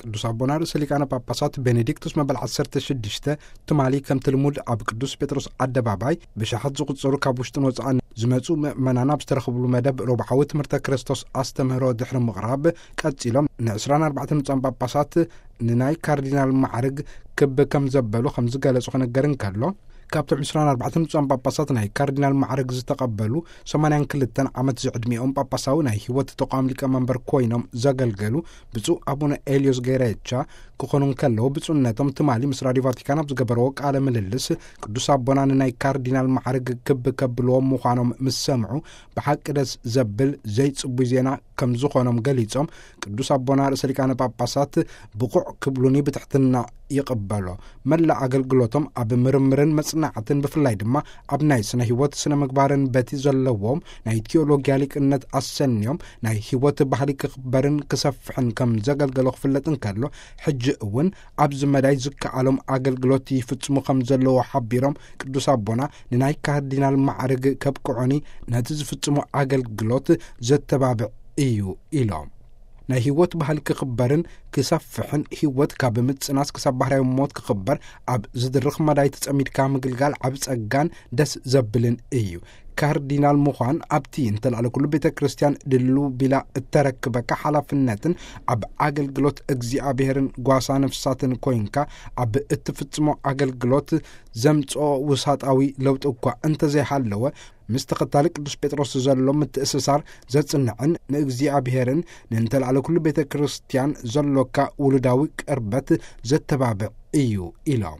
ቅዱስ ኣቦና ርእሰ ሊቃነ ጳጳሳት ቤኔዲክቱስ መበል ዓሰርተ ሽዱሽተ ትማሊ ከምቲ ልሙድ ኣብ ቅዱስ ጴጥሮስ ኣደባባይ ብሽሓት ዝቑጸሩ ካብ ውሽጥን ወጻእን ዝመጹ ምእመናን ኣብ ዝተረኽብሉ መደብ ረቡዓዊ ትምህርተ ክርስቶስ ኣስተምህሮ ድሕሪ ምቕራብ፣ ቀጺሎም ንዕስራን ኣርባዕተን ብፁዓን ጳጳሳት ንናይ ካርዲናል ማዕርግ ክብ ከም ዘበሉ ከም ዝገለጹ ክነገር እንከሎ፣ ካብቶም ዕስራን ኣርባዕተን ብፁዓን ጳጳሳት ናይ ካርዲናል ማዕርግ ዝተቐበሉ ሰማንያን ክልተን ዓመት ዝዕድሚኦም ጳጳሳዊ ናይ ህይወት ተቋም ሊቀመንበር ኮይኖም ዘገልገሉ ብፁዕ ኣቡነ ኤልዮስ ገይሬቻ ክኾኑ እንከለዉ፣ ብፁዕነቶም ትማሊ ምስ ራዲዮ ቫቲካን ኣብ ዝገበረዎ ቃለ ምልልስ፣ ቅዱስ ኣቦና ንናይ ካርዲናል ማዕርግ ክብ ከብልዎም ምዃኖም ምስ ሰምዑ ብሓቂ ደስ ዘብል ዘይጽቡይ ዜና ከም ዝኾኖም ገሊጾም፣ ቅዱስ ኣቦና ርእሰ ሊቃነ ጳጳሳት ብቑዕ ክብሉኒ ብትሕትና ይቕበሎ። መላእ ኣገልግሎቶም ኣብ ምርምርን መጽናዕትን፣ ብፍላይ ድማ ኣብ ናይ ስነ ህይወት ስነ ምግባርን በቲ ዘለዎም ናይ ቲዮሎጊያ ሊቅነት ኣሰንዮም ናይ ህይወት ባህሊ ክኽበርን ክሰፍሕን ከም ዘገልገሎ ክፍለጥ እንከሎ፣ ሕጂ እውን ኣብዚ መዳይ ዝከኣሎም ኣገልግሎት ይፍጽሙ ከም ዘለዎ ሓቢሮም፣ ቅዱስ ኣቦና ንናይ ካርዲናል ማዕርግ ከብቅዑኒ ነቲ ዝፍጽሙ ኣገልግሎት ዘተባብዕ እዩ ኢሎም። ናይ ህይወት ባህሊ ክኽበርን ክሰፍሕን፣ ህይወት ካብ ምጽናስ ክሳብ ባህርያዊ ሞት ክኽበር ኣብ ዝድርኽ መዳይ ተጸሚድካ ምግልጋል ዓቢ ጸጋን ደስ ዘብልን እዩ። ካርዲናል ምዃን ኣብቲ እንተላዕለ ኩሉ ቤተ ክርስቲያን ድሉ ቢላ እተረክበካ ሓላፍነትን ኣብ ኣገልግሎት እግዚኣብሔርን ጓሳ ነፍሳትን ኮይንካ ኣብ እትፍጽሞ ኣገልግሎት ዘምጽኦ ውሳጣዊ ለውጢ እኳ እንተዘይሃለወ፣ ምስ ተኸታሊ ቅዱስ ጴጥሮስ ዘሎ ምትእስሳር ዘጽንዕን ንእግዚኣብሔርን ንእንተላዕለ ኩሉ ቤተ ክርስቲያን ዘሎካ ውሉዳዊ ቅርበት ዘተባብዕ እዩ ኢሎም።